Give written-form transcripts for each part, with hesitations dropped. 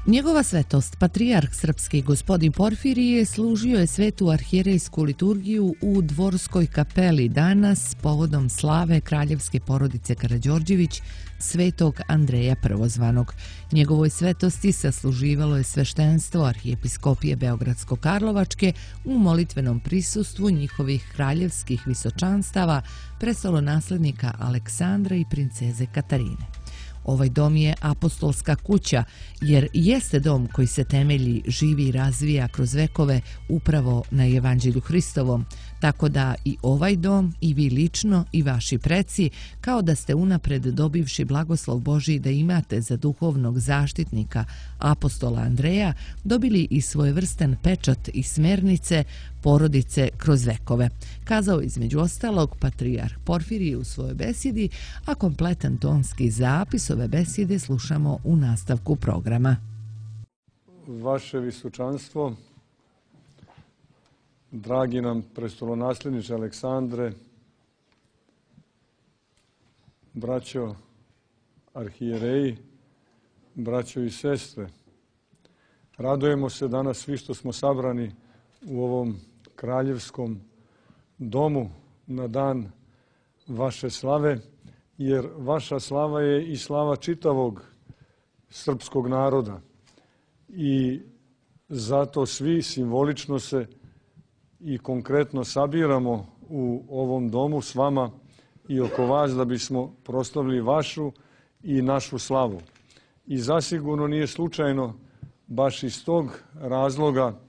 Njegova svetost, patrijarh srpski gospodin Porfirije, služio je svetu arhijerejsku liturgiju u Dvorskoj kapeli danas povodom slave kraljevske porodice Karađorđević, svetog Andreja Prvozvanog. Njegovoj svetosti sasluživalo je sveštenstvo arhijepiskopije Beogradsko-Karlovačke u molitvenom prisustvu njihovih kraljevskih visočanstava, prestolonaslednika Aleksandra i princeze Katarine. Ovaj dom je apostolska kuća, jer jeste dom koji se temelji, živi i razvija kroz vekove upravo na Evanđelju Hristovom, tako da i ovaj dom, i vi lično, i vaši preci, kao da ste unapred dobivši blagoslov Božji da imate za duhovnog zaštitnika apostola Andreja, dobili i svojevrstan pečat i smernice porodice kroz vekove, kazao između ostalog patrijarh Porfirije u svojoj besjedi, a kompletan tonski zapis ove besjede slušamo u nastavku programa. Vaše visočanstvo, dragi nam prestolonasledniče Aleksandre, braćo arhijereji, braćo i sestre, radujemo se danas svi što smo sabrani u ovom kraljevskom domu na dan vaše slave, jer vaša slava je i slava čitavog srpskog naroda. I zato svi simbolično se i konkretno sabiramo u ovom domu s vama i oko vas da bismo proslavili vašu i našu slavu. I zasigurno nije slučajno baš iz tog razloga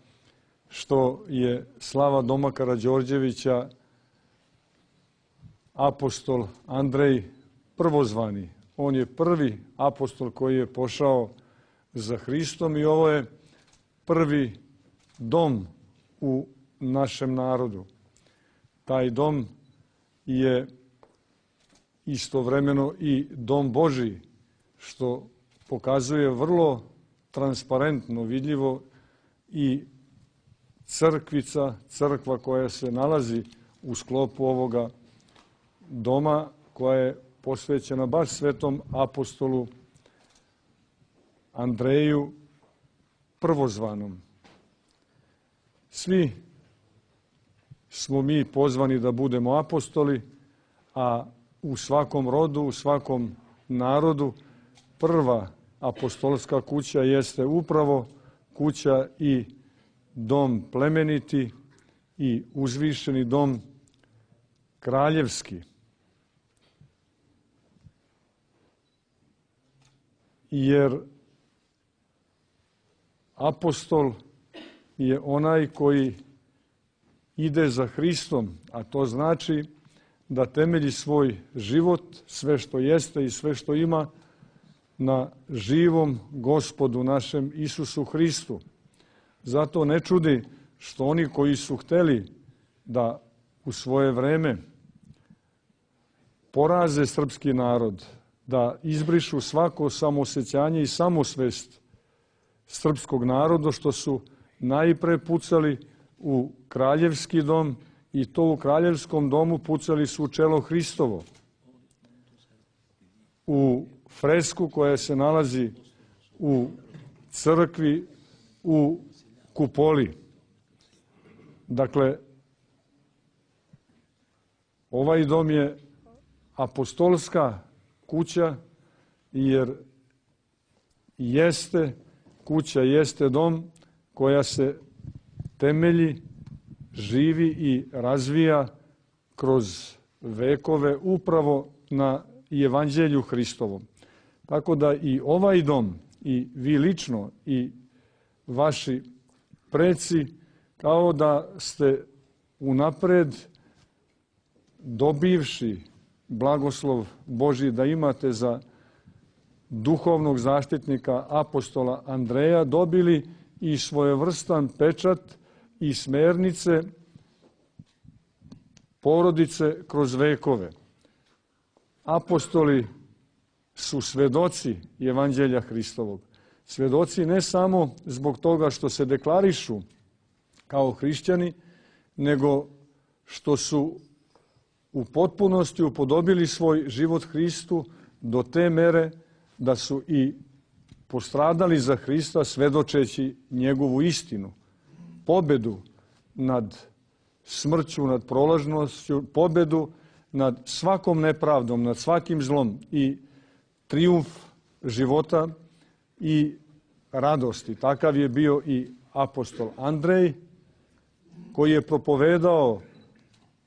što je slava doma Karađorđevića apostol Andrej Prvozvani. On je prvi apostol koji je pošao za Hristom i ovo je prvi dom u našem narodu. Taj dom je istovremeno i dom Božji, što pokazuje vrlo transparentno, vidljivo i crkva koja se nalazi u sklopu ovoga doma, koja je posvećena baš svetom apostolu Andreju Prvozvanom. Svi smo mi pozvani da budemo apostoli, a u svakom rodu, u svakom narodu prva apostolska kuća jeste upravo kuća i dom plemeniti i uzvišeni dom kraljevski. Jer apostol je onaj koji ide za Hristom, a to znači da temelji svoj život, sve što jeste i sve što ima, na živom Gospodu našem Isusu Hristu. Zato ne čudi što oni koji su hteli da u svoje vreme poraze srpski narod, da izbrišu svako samoosjećanje i samosvest srpskog naroda, što su najpre pucali u kraljevski dom i to u kraljevskom domu pucali su u čelo Hristovo. U fresku koja se nalazi u crkvi u kupoli. Dakle, ovaj dom je apostolska kuća, jer jeste kuća, jeste dom koja se temelji, živi i razvija kroz vekove upravo na Evanđelju Hristovom. Tako da i ovaj dom, i vi lično, i vaši preci, kao da ste unapred dobivši blagoslov Božji da imate za duhovnog zaštitnika apostola Andreja, dobili i svojevrstan pečat i smernice porodice kroz vekove. Apostoli su svedoci Evanđelja Hristovog. Svedoci ne samo zbog toga što se deklarišu kao hrišćani, nego što su u potpunosti upodobili svoj život Hristu do te mere da su i postradali za Hrista svedočeći njegovu istinu, pobedu nad smrću, nad prolažnošću, pobedu nad svakom nepravdom, nad svakim zlom i trijumf života i radosti. Takav je bio i apostol Andrej, koji je propovedao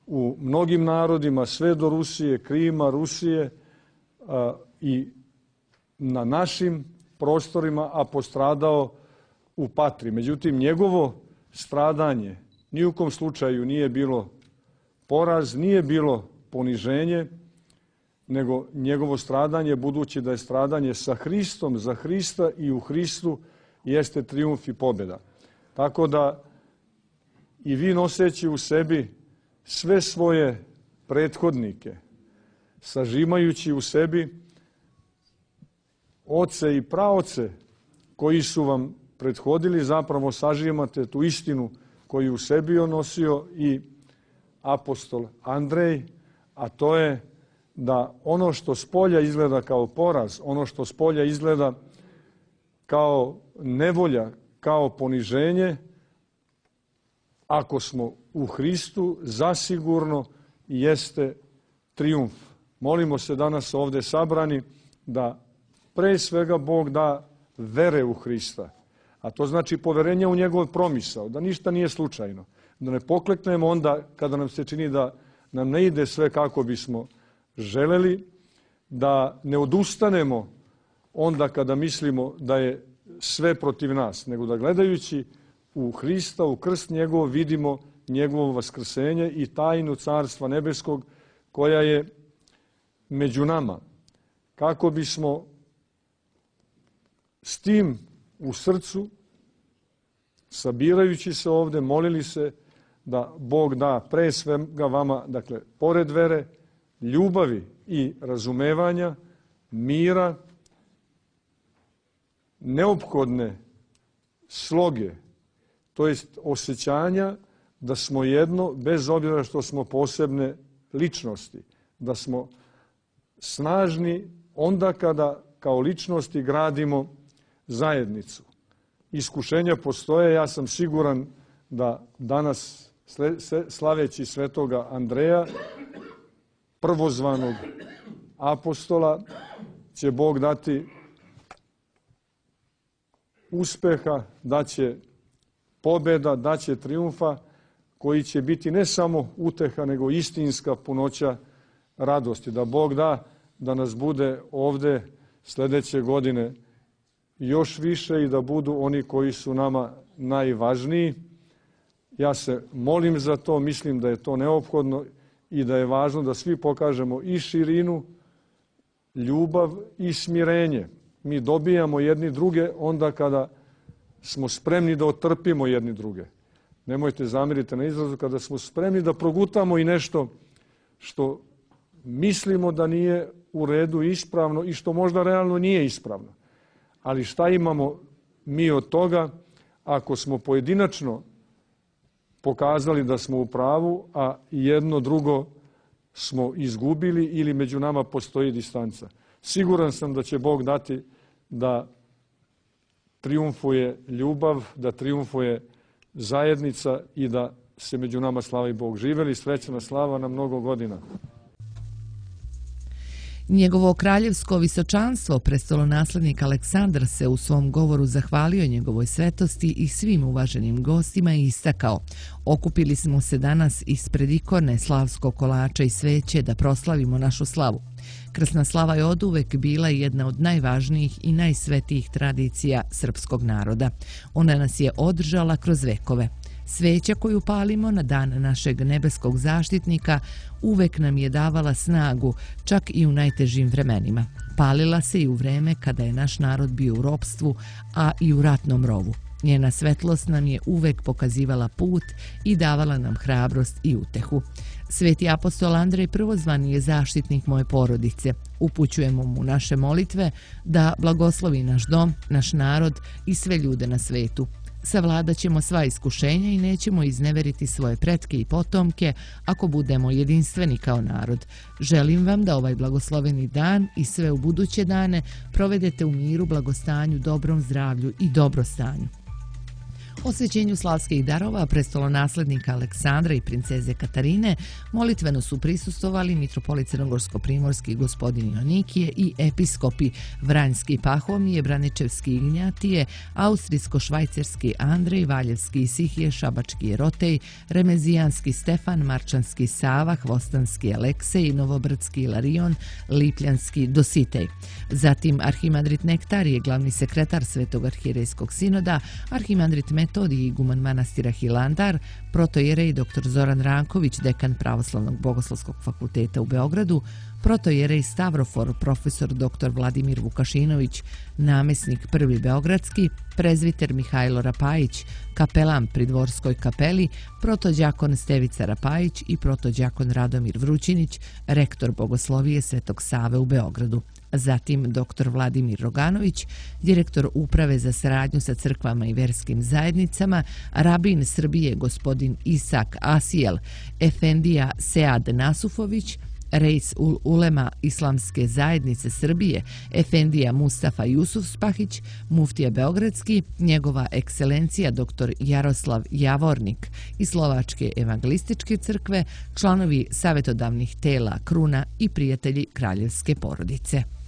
u mnogim narodima, sve do Rusije, Krima, Rusije i na našim prostorima, a postradao u Patri. Međutim, njegovo stradanje ni u kom slučaju nije bilo poraz, nije bilo poniženje, nego njegovo stradanje, budući da je stradanje sa Hristom, za Hrista i u Hristu, jeste trijumf i pobjeda. Tako da i vi, noseći u sebi sve svoje prethodnike, sažimajući u sebi oce i praoce koji su vam prethodili, zapravo sažimate tu istinu koju u sebi je nosio i apostol Andrej, a to je da ono što spolja izgleda kao poraz, ono što spolja izgleda kao nevolja, kao poniženje, ako smo u Hristu, zasigurno jeste trijumf. Molimo se danas ovdje sabrani da pre svega Bog da vere u Hrista, a to znači poverenje u njegov promisao, da ništa nije slučajno, da ne pokleknemo onda kada nam se čini da nam ne ide sve kako bismo želeli, da ne odustanemo onda kada mislimo da je sve protiv nas, nego da gledajući u Hrista, u krst njegov, vidimo njegovo vaskrsenje i tajnu Carstva nebeskog koja je među nama. Kako bismo s tim u srcu, sabirajući se ovdje, molili se da Bog da pre svega vama, dakle, pored vere, ljubavi i razumevanja, mira, neophodne sloge, to jest osjećanja da smo jedno, bez obzira što smo posebne ličnosti, da smo snažni onda kada kao ličnosti gradimo zajednicu. Iskušenja postoje, ja sam siguran da danas, slaveći svetoga Andreja, prvozvanog apostola, će Bog dati uspeha, daće pobjeda, daće trijumfa, koji će biti ne samo uteha, nego istinska punoća radosti. Da Bog da da nas bude ovdje sljedeće godine još više i da budu oni koji su nama najvažniji. Ja se molim za to, mislim da je to neophodno i da je važno da svi pokažemo i širinu, ljubav i smirenje. Mi dobijamo jedni druge onda kada smo spremni da otrpimo jedni druge. Nemojte zamiriti na izrazu, kada smo spremni da progutamo i nešto što mislimo da nije u redu, ispravno i što možda realno nije ispravno. Ali šta imamo mi od toga ako smo pojedinačno pokazali da smo u pravu, a jedno drugo smo izgubili ili među nama postoji distanca? Siguran sam da će Bog dati da trijumfuje ljubav, da trijumfuje zajednica i da se među nama slavi Bog. Živeli srećna slava na mnogo godina. Njegovo kraljevsko visočanstvo, prestolonaslednik Aleksandar, se u svom govoru zahvalio njegovoj svetosti i svim uvaženim gostima i istakao: okupili smo se danas ispred ikone slavskog kolača i sveće da proslavimo našu slavu. Krsna slava je oduvek bila jedna od najvažnijih i najsvetijih tradicija srpskog naroda. Ona nas je održala kroz vekove. Sveća koju palimo na dan našeg nebeskog zaštitnika uvek nam je davala snagu, čak i u najtežim vremenima. Palila se i u vreme kada je naš narod bio u ropstvu, a i u ratnom rovu. Njena svetlost nam je uvek pokazivala put i davala nam hrabrost i utehu. Sveti apostol Andrej prvozvani je zaštitnik moje porodice. Upućujemo mu naše molitve da blagoslovi naš dom, naš narod i sve ljude na svetu. Savladat ćemo sva iskušenja i nećemo izneveriti svoje pretke i potomke ako budemo jedinstveni kao narod. Želim vam da ovaj blagosloveni dan i sve u buduće dane provedete u miru, blagostanju, dobrom zdravlju i dobrostanju. Osvećenju slavskih darova prestolonaslednika Aleksandra i princeze Katarine molitveno su prisustvovali mitropolit crnogorsko-primorski gospodin Jonikije i episkopi Vranjski Pahomije, Braničevski Ignjatije, Austrijsko-švajcarski Andrej, Valjevski Isihije, Šabački Jerotej, Remezijanski Stefan, Marčanski Sava, Hvostanski Aleksej, Novobrdski Ilarion, Lipljanski Dositej. Zatim arhimandrit Nektarije, glavni sekretar Svetog arhijerejskog sinoda, arhimandrit Metodij, iguman manastira Hilandar, protojerej dr. Zoran Ranković, dekan Pravoslavnog bogoslovskog fakulteta u Beogradu, protojerej Stavrofor, profesor dr. Vladimir Vukašinović, namesnik prvi beogradski, prezviter Mihajlo Rapajić, kapelan pri Dvorskoj kapeli, protođakon Stevica Rapajić i protođakon Radomir Vrućinić, rektor Bogoslovije Svetog Save u Beogradu. Zatim dr. Vladimir Roganović, direktor Uprave za saradnju sa crkvama i verskim zajednicama, rabin Srbije gospodin Isak Asijel, efendija Sead Nasufović, Reis ul Ulema Islamske zajednice Srbije, efendija Mustafa Jusufspahić, muftija beogradski, njegova ekscelencija dr. Jaroslav Javornik iz Slovačke evangelističke crkve, članovi savjetodavnih tela Kruna i prijatelji kraljevske porodice.